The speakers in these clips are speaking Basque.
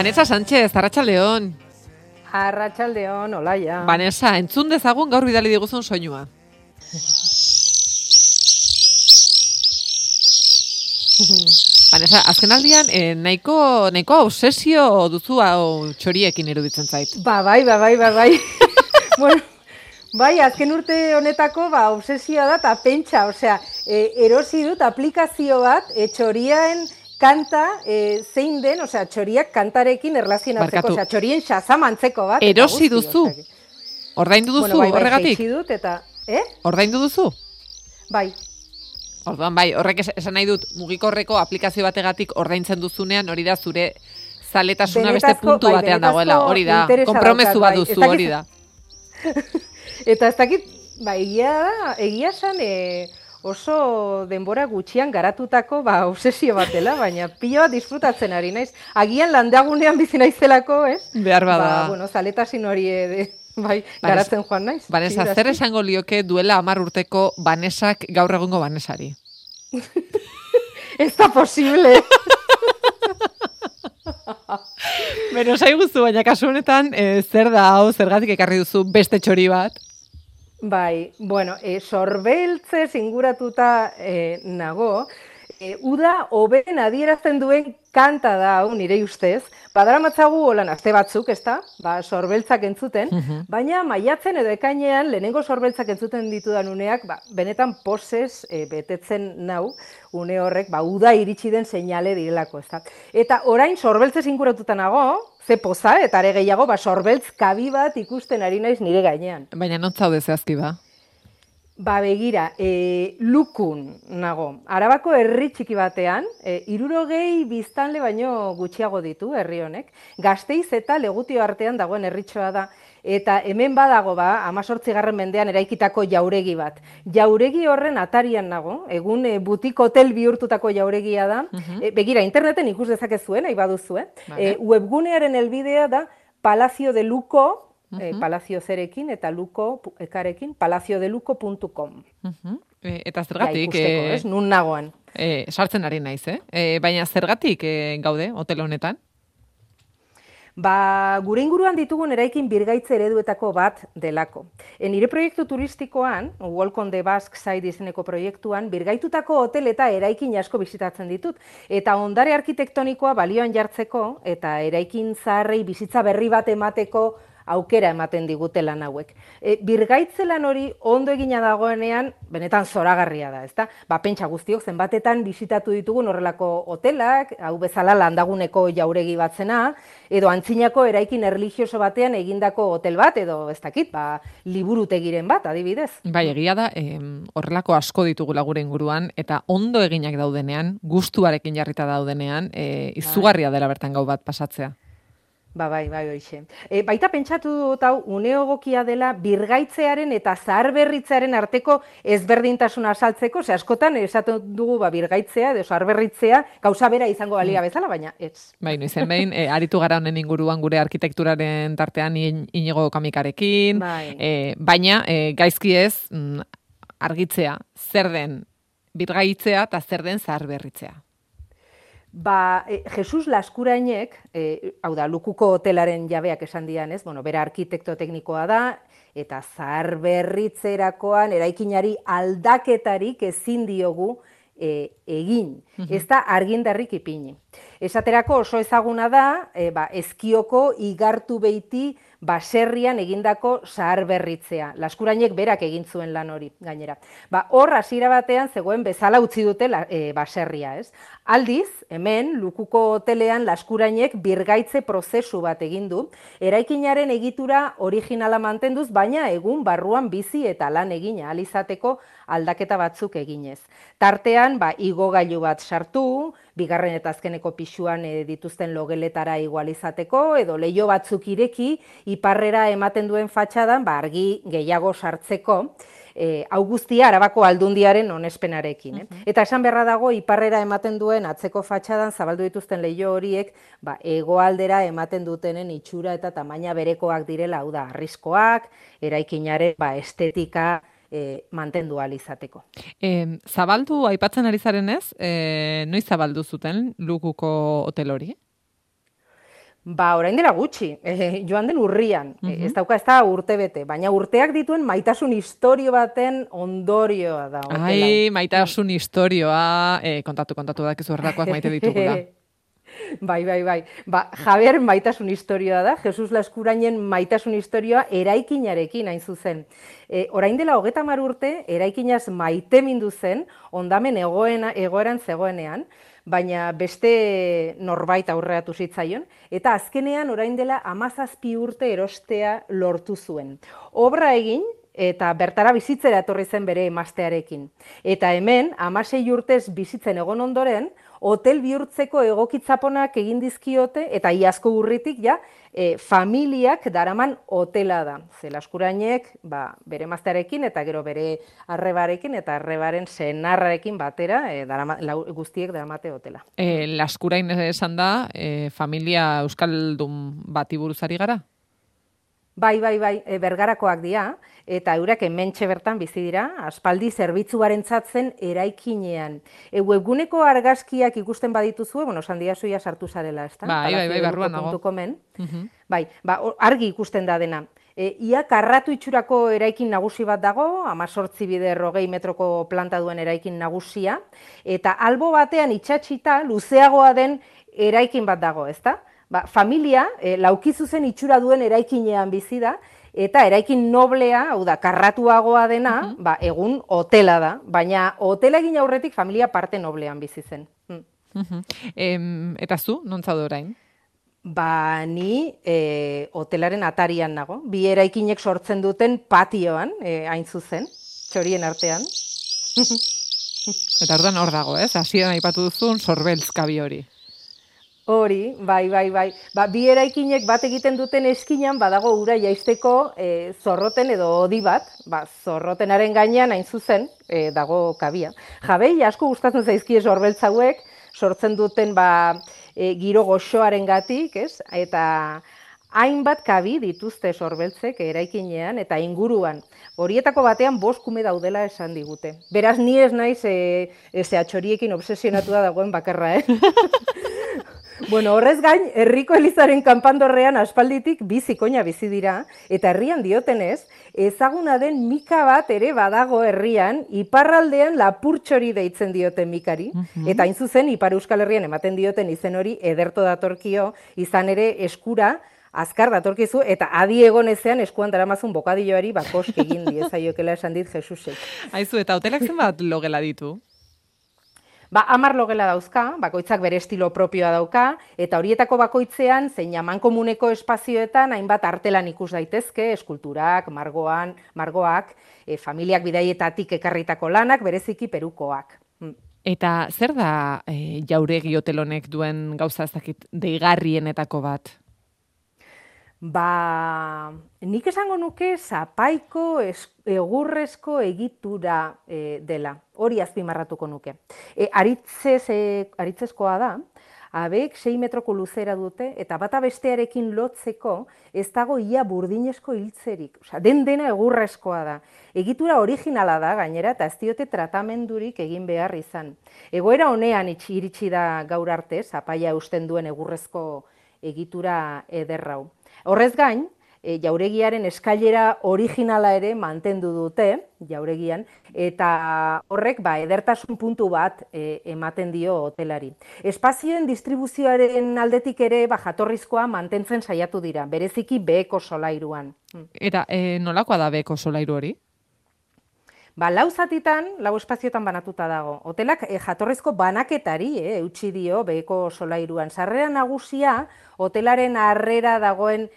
Vanessa Sánchez, Arratsaldeon. Arratsaldeon, olaia. Vanessa, entzun dezagun gaur bidali diguzun soinua. Vanessa, azkenaldian nahiko obsesio duzu hau txoriekin iruditzen zait. Bai. Bueno, bai, azken urte honetako obsesioa da eta pentsa, erosi dut aplikazio bat txorien kanta zein den, txoriak kantarekin erlazionatzeko, txorien xazamantzeko bat. Erosi duzu? Ordaindu duzu horregatik? Bai, dut eta, Ordaindu duzu? Bai. Orduan, bai, horrek esan nahi dut, mugikorreko aplikazio bategatik ordaintzen duzunean, hori da zure zaletasuna beste puntu batean dagoela, hori da, konpromezu bat duzu, hori da. Eta ez dakit, egia esan oso denbora gutxian garatutako obsesio bat dela, baina pilo bat disfrutatzen ari naiz. Agian landagunean bizi naizelako, ez? Behar bada. Zaletasin hori garatzen joan naiz. Vanessa, zer esango lioke duela 10 urteko Vanessak gaur egungo Vanessari? Ez da posible. Beno, saiguzu, baina kasu honetan, zer da hau, zergatik ekarri duzu beste txori bat? Bai, bueno, sorbeltzez inguratuta nago, uda hoben adierazten duen kanta da hau nire ustez, badaramatzagu holan aste batzuk, ezta? Sorbeltzak entzuten, baina maiatzen edo ekainean lehenengo sorbeltzak entzuten ditudan uneak, benetan posez betetzen nau, une horrek, uda iritsi den seinale direlako, ezta? Eta orain sorbeltzez inguratuta nago, ze poza, eta are gehiago, sorbeltz kabi bat ikusten ari naiz nire gainean. Baina non zaude zehazki ba? Begira, Lukun nago. Arabako herri txiki batean, 60 biztanle baino gutxiago ditu herri honek. Gasteiz eta Legutio artean dagoen herritxoa da. Eta hemen badago 18. mendean eraikitako jauregi bat. Jauregi horren atarian nago, egun butik hotel bihurtutako jauregia da. Begira, interneten ikus dezakezuen, nahi baduzue. Webgunearen helbidea da Palacio de Luco, Palacio zerekin eta Luko ekarekin, palaciodeluco.com. Eta zergatik? Ikusteko, nun nagoan. Sartzen ari naiz, baina zergatik gaude hotel honetan? Gure inguruan ditugun eraikin birgaitze ereduetako bat delako. Nire proiektu turistikoan, Walk on the Basque Side izeneko proiektuan, birgaitutako hotel eta eraikin asko bizitatzen ditut. Eta ondare arkitektonikoa balioan jartzeko eta eraikin zaharrei bizitza berri bat emateko aukera ematen digute lan hauek. Birgaitze lan hori ondo egina dagoenean, benetan zoragarria da, ezta? Pentsa guztiok zenbatetan bisitatu ditugun horrelako hotelak, hau bezala landaguneko jauregi bat zena, edo antzinako eraikin erlijioso batean egindako hotel bat, edo ez dakit, liburutegiren bat, adibidez. Bai, egia da, horrelako asko ditugula gure inguruan, eta ondo eginak daudenean, gustuarekin jarrita daudenean, izugarria dela bertan gau bat pasatzea. Bai, hoixe. Baita pentsatu dut hau, une egokia dela birgaitzearen eta zaharberritzearen arteko ezberdintasuna azaltzeko, askotan esaten dugu birgaitzea edo zaharberritzea gauza bera izango balia bezala, baina ez. Bai, noizen behin, aritu gara honen inguruan gure arkitekturaren tartean Inigo Kamikarekin, baina gaizki ez argitzea, zer den birgaitzea eta zer den zaharberritzea. Jesus Laskurainek, hau da, Lukuko hotelaren jabeak esan dian, ez? Bera arkitekto teknikoa da, eta zaharberritzerakoan eraikinari aldaketarik ezin diogu egin. Ez da argindarrik ipini. Esaterako oso ezaguna da, Ezkioko igartu beiti baserrian egindako zaharberritzea. Laskurainek berak egin zuen lan hori, gainera. Hor hasiera batean zegoen bezala utzi dute baserria, ez? Aldiz, hemen, Lukuko hotelean Laskurainek birgaitze prozesu bat egin du, eraikinaren egitura originala mantenduz, baina egun barruan bizi eta lan egin ahal izateko aldaketa batzuk eginez. Tartean, igogailu bat sartu, bigarren eta azkeneko pisuan dituzten logeletara igualizateko, edo leiho batzuk ireki, iparrera ematen duen fatxadan, argi gehiago sartzeko, hau guztia Arabako Aldundiaren onespenarekin. Eta esan beharra dago, iparrera ematen duen atzeko fatxadan zabaldu dituzten leiho horiek, hegoaldera ematen dutenen itxura eta tamaina berekoak direla, hau da, arriskoak, eraikinaren estetika mantendu ahal izateko. Zabaldu aipatzen ari zarenez, noiz zabaldu zuten Lukuko hotel hori? Ba, orain dela gutxi, joan den urrian, ez dauka ez da urte bete, baina urteak dituen maitasun istorio baten ondorioa da. Ai, maitasun istorioa, kontatu dakizu horrelakoak maite ditugula. Bai. Ba, Javier maitasun istorioa da, Jesus Laskurainen maitasun istorioa eraikinarekin hain zuzen. Orain dela 30 urte, eraikinaz maitemindu zen, ondamen egoeran zegoenean, baina beste norbait aurreatu zitzaion, eta azkenean orain dela 17 urte erostea lortu zuen. Obra egin, eta bertara bizitzera etorri zen bere emaztearekin. Eta hemen, 16 urtez bizitzen egon ondoren, hotel bihurtzeko egokitzaponak egin dizkiote, eta iazko urritik familiak daraman hotela da. Ze Laskurainek bere emaztearekin eta gero bere arrebarekin eta arrebaren senarrarekin batera guztiek daramate hotela. Laskurain esan da, familia euskaldun bati buruz ari gara? Bai, Bergarakoak dira, eta eurak hementxe bertan bizi dira, aspaldi zerbitzuarentzat zen eraikinean. Webguneko argazkiak ikusten badituzue, sandiazuia sartu zarela, ezta? Bai, barruan nago. Bai, argi ikusten da dena. Ia karratu itxurako eraikin nagusi bat dago, 18 bider 20 metroko planta duen eraikin nagusia, eta albo batean itxatxita luzeagoa den eraikin bat dago, ezta? Familia, laukizuzen itxura duen eraikinean bizi da, eta eraikin noblea, hau da, karratuagoa dena, egun hotela da, baina hotela egin aurretik familia parte noblean bizi zen. Eta zu, non zaude orain? Ni hotelaren atarian nago, bi eraikinek sortzen duten patioan, hain zuzen, txorien artean. Eta orduan hor dago, ez? Hasieran aipatu duzun sorbeltzkabi hori. Hori, bai. Bi eraikinek bat egiten duten eskinan badago ura jaisteko zorroten edo hodi bat, zorrotenaren gainean hain zuzen dago kabia. Jabei asko gustatzen zaizkie sorbeltz hauek, sortzen duten giro goxoarengatik, ez? Eta hainbat kabi dituzte sorbeltzek eraikinean eta inguruan. Horietako batean 5 kume daudela esan digute. Beraz, ni ez naiz atxoriekin obsesionatua dagoen bakarra, Horrez gain, herriko elizaren kanpandorrean aspalditik bi zikoina bizi dira, eta herrian diotenez, ezaguna den mika bat ere badago herrian, iparraldean Lapurtxori deitzen dioten mikari, eta hain zuzen, Ipar Euskal Herrian ematen dioten izen hori ederto datorkio, izan ere eskura, azkar datorkizu, eta adi egon ezean eskuan daramazun bokadilloari bakosk egin diezaiokela esan dit Jesusek. Aizu, eta hotelak zenbat logela ditu? 10 logela dauzka, bakoitzak bere estilo propioa dauka, eta horietako bakoitzean, zein amankomuneko espazioetan, hainbat artelan ikus daitezke, eskulturak, margoak, familiak bidaietatik ekarritako lanak, bereziki perukoak. Eta zer da jauregi hotel honek duen gauza ezakit deigarrienetako bat? Nik esango nuke zapaiko egurrezko egitura dela. Hori azpimarratuko nuke. Aritzezkoa da, abek 6 metroko luzera dute, eta bata bestearekin lotzeko ez dago ia burdinezko hiltzerik. Dena egurrezkoa da. Egitura originala da, gainera, eta ez diote tratamendurik egin behar izan. Egoera honean iritsi da gaur arte, zapaia eusten duen egurrezko egitura ederrau. Horrez gain, jauregiaren eskailera originala ere mantendu dute, jauregian, eta horrek edertasun puntu bat ematen dio hotelari. Espazioen distribuzioaren aldetik ere jatorrizkoa mantentzen saiatu dira, bereziki beheko solairuan. Eta nolakoa da beheko solairu hori? 4 zatitan, 4 espazioetan banatuta dago. Hotelak jatorrizko banaketari eutsi dio beheko solairuan. Sarrera nagusia, hotelaren harrera dagoen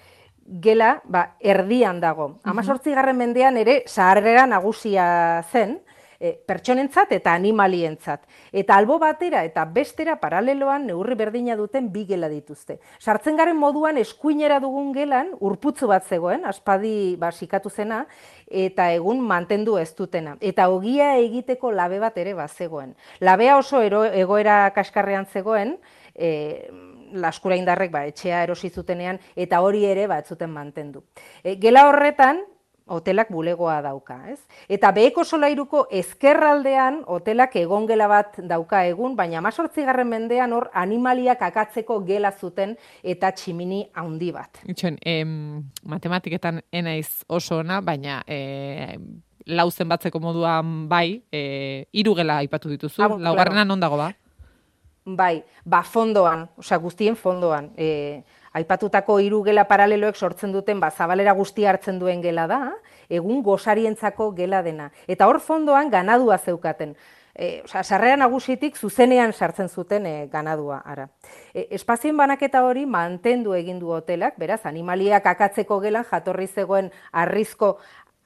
gela erdian dago. 18. mendean ere sarrera nagusia zen, pertsonentzat eta animalientzat. Eta albo batera eta bestera paraleloan neurri berdina duten 2 gela dituzte. Sartzen garen moduan eskuinera dugun gelan urputzu bat zegoen, aspadi sikatu zena, eta egun mantendu ez dutena. Eta ogia egiteko labe bat ere bazegoen. Labea oso egoera kaskarrean zegoen, Laskuraindarrek etxea erosi zutenean, eta hori ere ez zuten mantendu. Gela horretan, hotelak bulegoa dauka, ez? Eta beheko solairuko ezkerraldean hotelak egongela bat dauka egun, baina 18. mendean hor animaliak akatzeko gela zuten eta tximini handi bat. Itxoen, matematiketan enaiz oso ona, baina lauzen batzeko moduan bai, 3 gela aipatu dituzu, laugarrena non dago ba? Bai, fondoan, guztien fondoan, aipatutako 3 gela paraleloek sortzen duten zabalera guztia hartzen duen gela da, egun gosarientzako gela dena. Eta hor fondoan ganadua zeukaten. Sarrera nagusitik zuzenean sartzen zuten ganadua. Espazioen banaketa hori mantendu egin du hotelak, beraz, animaliak akatzeko gelan jatorri zegoen arrizko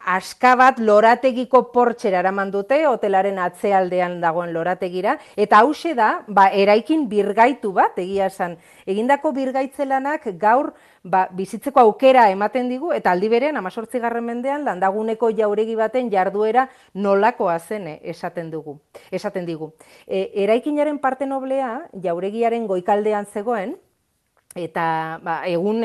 aska bat lorategiko portxera eraman dute, hotelaren atzealdean dagoen lorategira, eta hause da, eraikin birgaitu bat, egia esan. Egindako birgaitzelanak gaur bizitzeko aukera ematen digu, eta aldi berean, 18. mendean, landaguneko jauregi baten jarduera nolakoa zen esaten digu. Eraikinaren parte noblea, jauregiaren goikaldean zegoen, eta egun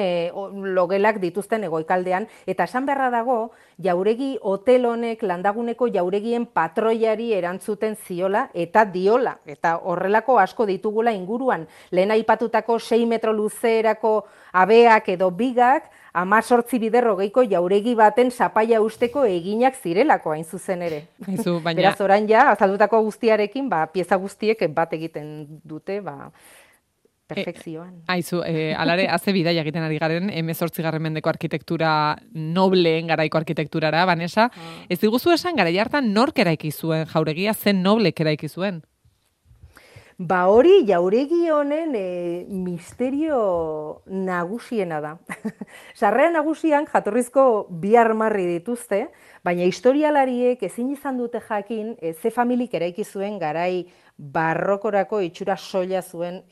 logelak dituzten egoikaldean, eta esan beharra dago, jauregi hotel honek landaguneko jauregien patroiari erantzuten ziola eta diola, eta horrelako asko ditugula inguruan, lehen aipatutako 6 metro luzerako abeak edo bigak, 18 bider hogeiko jauregi baten zapaia usteko eginak zirelako hain zuzen ere. Beraz, orain azaldutako guztiarekin, pieza guztiek bat egiten dute, perfekzioan. Aizu, alare, haze bidaia egiten ari garen, 18. mendeko arkitektura nobleen garaiko arkitekturara, Vanessa. Ez diguzu esan, garai hartan nork eraiki zuen jauregia, zen noblek eraiki zuen? Hori jauregi honen misterio nagusiena da. Sarrera nagusian jatorrizko 2 armarri dituzte, baina historialariek ezin izan dute jakin ze familik eraiki zuen garai barrokorako itxura soila zuen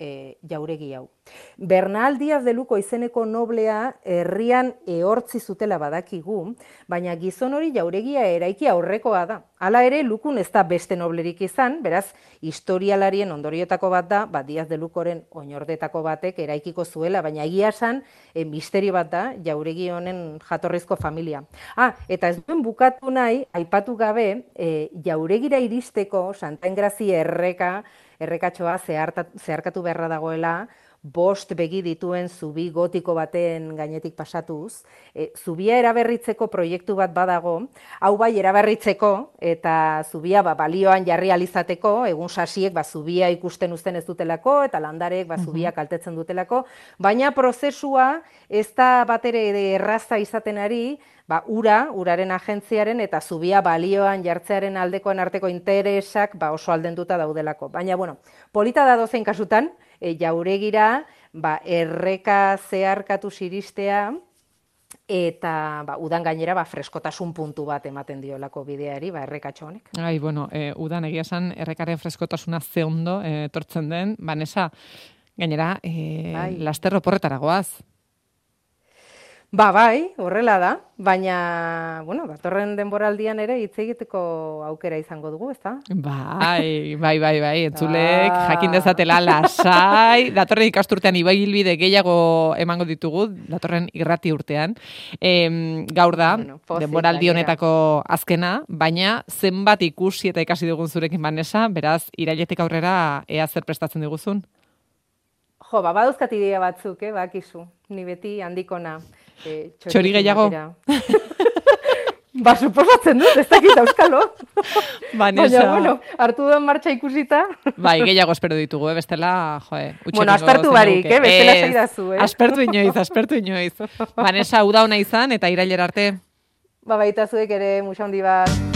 jauregi hau. Bernal Díaz de Luco izeneko noblea herrian ehortzi zutela badakigu, baina gizon hori jauregia eraiki aurrekoa da. Hala ere, Lukun ez da beste noblerik izan, beraz, historialarien ondoriotako bat da, Díaz de Lucoren oinordetako batek eraikiko zuela, baina egia esan, misterio bat da, jauregi honen jatorrizko familia. Eta ez duen bukatu nahi, aipatu gabe, jauregira iristeko Santa Engrazi errekatxoa zeharkatu beharra dagoela, 5 begi dituen zubi gotiko baten gainetik pasatuz, zubia eraberritzeko proiektu bat badago, hau bai eraberritzeko eta zubia balioan jarri alizateko, egun sasiek zubia ikusten uzten ez dutelako eta landarek zubia kaltetzen dutelako, baina prozesua ez da batere erraza izaten ari, uraren agentziaren eta zubia balioan jartzearen aldekoen arteko interesak oso aldenduta daudelako. Baina, polita da dozein kasutan, jauregira erreka zeharkatu ziristea eta udan gainera freskotasun puntu bat ematen diolako bideari errekatxo honek. Udan egia esan errekaren freskotasuna ze ondo etortzen den, Vanessa, gainera laster oporretara goaz. Horrela da, baina, datorren denboraldian ere hitz egiteko aukera izango dugu, ezta? Bai, entzulek, jakin dezatela lasai, datorren ikasturtean ibilbide gehiago emango ditugu, datorren irrati urtean. Gaur da, denboraldi honetako azkena, baina zenbat ikusi eta ikasi dugun zurekin, Vanessa, beraz, irailetik aurrera ea zer prestatzen diguzun? Badauzkat idea batzuk, bakizu, ni beti handikona. Txori gehiago? Suposatzen dut, ez dakit auskalo. Vanessa. Baina, hartu duen martxa ikusita. Gehiago espero ditugu, bestela, aspertu barik, bestela zaidazu. Aspertu inoiz. Vanessa, uda hona izan, eta irailera arte. Baita zuek ere, musa handi bat.